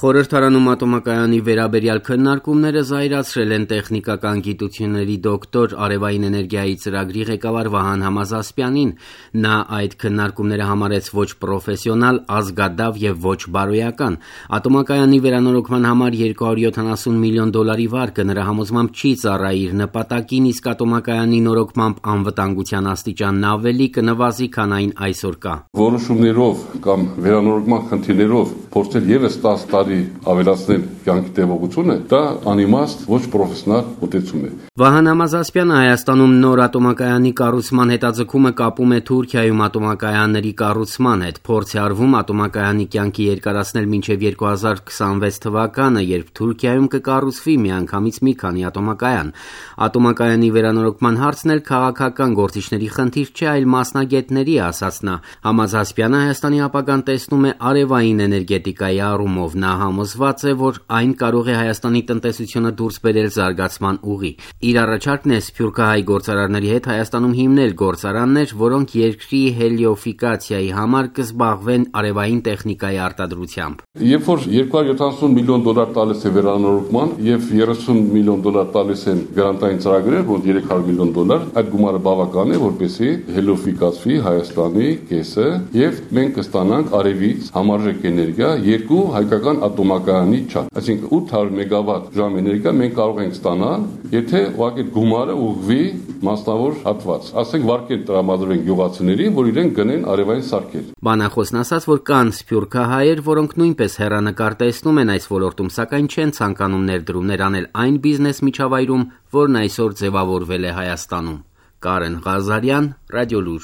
Խորհրդարանում ատոմակայանի վերաբերյալ քննարկումները զայրացրել են տեխնիկական գիտությունների դոկտոր, արևային էներգիայի ծրագրի ղեկավար Վահան Համազասպյանին: Նա այդ քննարկումները համարեց ոչ պրոֆեսիոնալ, ազգադավ եւ ոչ բարոյական: Ատոմակայանի վերանորոգման համար $270 միլիոն վարկը նրա համոզմամբ չի ծառայի իր նպատակին, իսկ ատոմակայանի նորոգմամբ անվտանգության աստիճանն ավելի կնվազի, քան այն այսօր կա: Որոշումներով կամ վերանորոգման խնդիրներով փորձել եւս 10 տարի ավելացնել կյանքի տևողությունը, դա անիմաստ, ոչ պրոֆեսիոնալ մոտեցում է: Վահան Համազասպյանը Հայաստանում նոր ատոմակայանի կառուցման հետաձգումը կապում է Թուրքիայում ատոմակայանների կառուցման հետ: Փորձ է արվում ատոմակայանի կյանքը երկարացնել մինչև 2026 թվականը, երբ Թուրքիայում կկառուցվի միանգամից մի քանի ատոմակայան: Ատոմակայանի վերանորոգման հարցն էլ քաղաքական գործիչների խնդիր չէ, այլ մասնագետների, ասաց նա: Համազասպյանը Հայաստանի ապագան տեսնում է արևային էներգետիկայի առումով: Նա համոզված է, որ այն կարող է Հայաստանի տնտեսությունը դուրս բերել զարգացման ուղի: Իր առաջարկն է սփյուռքահայ գործարարների հետ Հայաստանում հիմնել գործարաններ, որոնք երկրի հելիոֆիկացիայի համար կզբաղվեն արևային տեխնիկայի արտադրությամբ: Երբ որ $270 միլիոն տալիս է վերանորոգման եւ $30 միլիոն տալիս են գրանտային ծրագրեր, մոտ $300 միլիոն, այդ գումարը բավական է, որպեսզի հելիոֆիկացվի Հայաստանի կեսը եւ մենք կստանանք արևից համարժեք էներգիա երկու հայկական ատոմակայանի չափ: Այսինքն 800 մեգավատ ժամ էներգիա մենք կարող ենք ստանալ, եթե ուղղակի գումարը ուղղվի մասնավոր հատված, ասենք վարկեր տրամադրվեն գյուղացիներին, որ իրենք գնեն արևային սարքեր: Բանախոսն ասաց, որ կան սփյուռքահայեր, որոնք նույնպես հեռանկար տեսնում են այս ոլորտում, սակայն չեն ցանկանում ներդրումներ անել այն բիզնես միջավայրում, որն այսօր ձևավորվել է Հայաստանում: Կարեն Ղազարյան, Ռադիոլուր: